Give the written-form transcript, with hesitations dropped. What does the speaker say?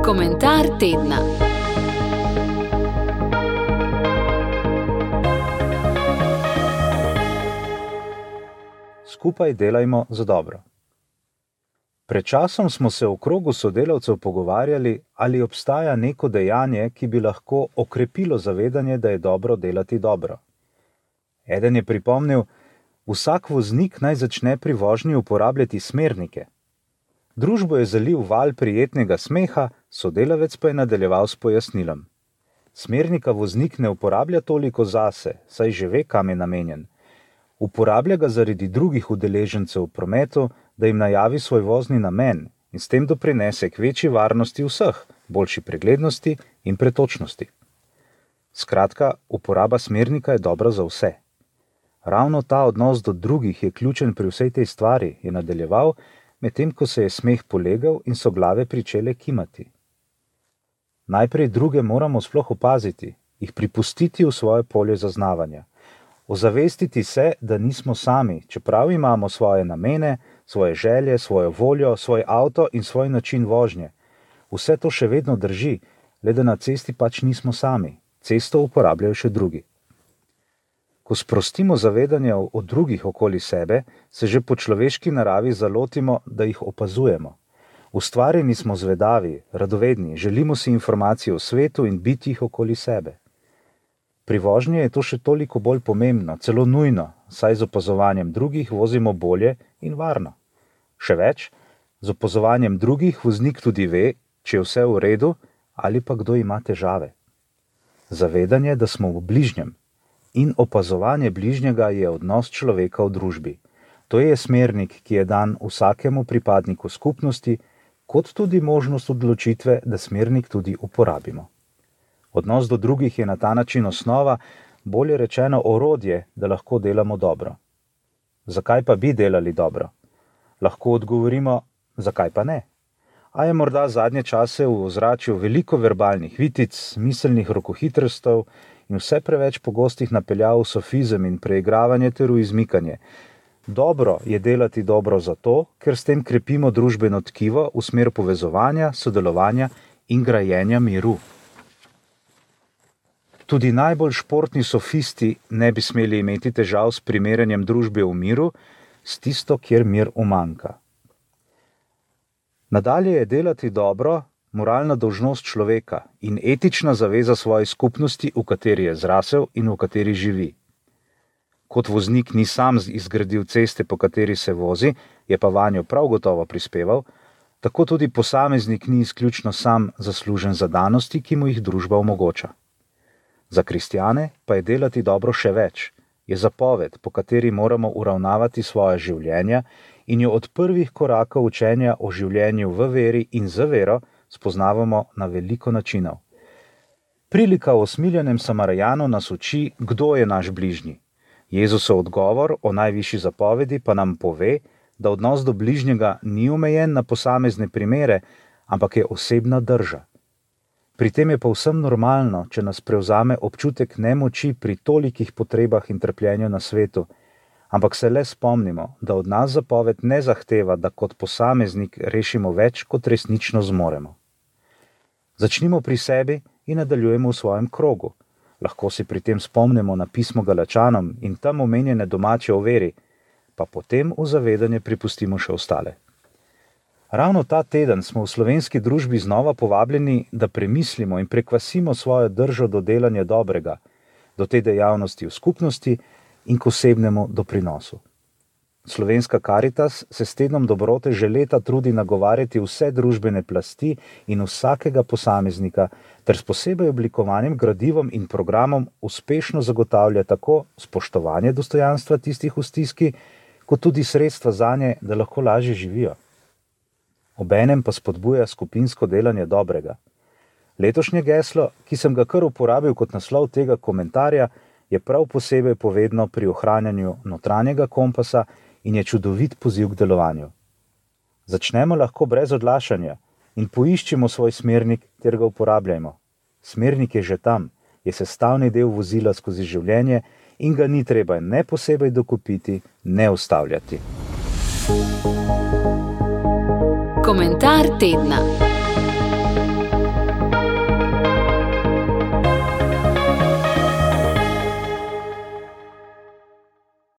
Komentar tedna. Skupaj delajmo za dobro. Pred časom smo se v krogu sodelavcev pogovarjali, ali obstaja neko dejanje, ki bi lahko okrepilo zavedanje, da je dobro delati dobro. Eden je pripomnil, vsak voznik naj začne pri vožnji uporabljati smernike. Družbo je zalil val prijetnega smeha, sodelavec pa je nadaljeval s pojasnilom. Smernika voznik ne uporablja toliko zase, saj že ve, kam je namenjen. Uporablja ga zaradi drugih udeležencev v prometu, da jim najavi svoj vozni namen in s tem doprinese k večji varnosti vseh, boljši preglednosti in pretočnosti. Skratka, uporaba smernika je dobra za vse. Ravno ta odnos do drugih je ključen pri vsej tej stvari, je nadaljeval, medtem ko se je smeh polegal in so glave pričele kimati. Najprej druge moramo sploh opaziti, jih pripustiti v svoje polje zaznavanja. Ozavestiti se, da nismo sami, čeprav imamo svoje namene, svoje želje, svojo voljo, svoj avto in svoj način vožnje. Vse to še vedno drži, le da na cesti pač nismo sami. Cesto uporabljajo še drugi. Ko sprostimo zavedanje o drugih okoli sebe, se že po človeški naravi zalotimo, da jih opazujemo. Ustvarjeni smo zvedavi, radovedni, želimo si informacije o svetu in bitjih okoli sebe. Pri vožnji je to še toliko bolj pomembno, celo nujno, saj z opazovanjem drugih vozimo bolje in varno. Še več, z opazovanjem drugih voznik tudi ve, če je vse v redu ali pa kdo ima težave. Zavedanje, da smo v bližnjem, in opazovanje bližnjega je odnos človeka v družbi. To je smernik, ki je dan vsakemu pripadniku skupnosti, kot tudi možnost odločitve, da smernik tudi uporabimo. Odnos do drugih je na ta način osnova, bolje rečeno orodje, da lahko delamo dobro. Zakaj pa bi delali dobro? Lahko odgovorimo, zakaj pa ne? A je morda zadnje čase v ozračju veliko verbalnih vitic, miselnih rokohitrstev in vse preveč pogostih napeljav v sofizem in preigravanje ter v izmikanje. Dobro je delati dobro zato, ker s tem krepimo družbeno tkivo v smer povezovanja, sodelovanja in grajenja miru. Tudi najbolj športni sofisti ne bi smeli imeti težav s primerjanjem družbe v miru s tisto, kjer mir umanjka. Nadalje je delati dobro moralna dolžnost človeka in etična zaveza svoje skupnosti, v kateri je zrasel in v kateri živi. Kot voznik ni sam izgradil ceste, po kateri se vozi, je pa vanjo prav gotovo prispeval, tako tudi posameznik ni izključno sam zaslužen za danosti, ki mu jih družba omogoča. Za kristjane pa je delati dobro še več, je zapoved, po kateri moramo uravnavati svoje življenja in jo od prvih korakov učenja o življenju v veri in z vero spoznavamo na veliko načinov. Prilika o usmiljenem Samarjanu nas uči, kdo je naš bližnji. Jezusov odgovor o najvišji zapovedi pa nam pove, da odnos do bližnjega ni omejen na posamezne primere, ampak je osebna drža. Pri tem je povsem normalno, če nas prevzame občutek nemoči pri tolikih potrebah in trpljenju na svetu, ampak se le spomnimo, da od nas zapoved ne zahteva, da kot posameznik rešimo več, kot resnično zmoremo. Začnimo pri sebi in nadaljujemo v svojem krogu. Lahko si pri tem spomnimo na pismo Galačanom in tam omenjene domače o veri, pa potem v zavedanje pripustimo še ostale. Ravno ta teden smo v slovenski družbi znova povabljeni, da premislimo in prekvasimo svojo držo do delanja dobrega, do te dejavnosti v skupnosti in k osebnemu doprinosu. Slovenska Karitas se s tednom dobrote že leta trudi nagovarjati vse družbene plasti in vsakega posameznika, ter s posebej oblikovanim gradivom in programom uspešno zagotavlja tako spoštovanje dostojanstva tistih v stiski, kot tudi sredstva zanje, da lahko lažje živijo. Obenem pa spodbuja skupinsko delanje dobrega. Letošnje geslo, ki sem ga kar uporabil kot naslov tega komentarja, je prav posebej povedno pri ohranjanju notranjega kompasa in je čudovit poziv k delovanju. Začnemo lahko brez odlašanja in poiščimo svoj smernik ter ga uporabljajmo. Smernik je že tam, je sestavni del vozila skozi življenje in ga ni treba ne posebej dokupiti, ne ustavljati. Komentar tedna.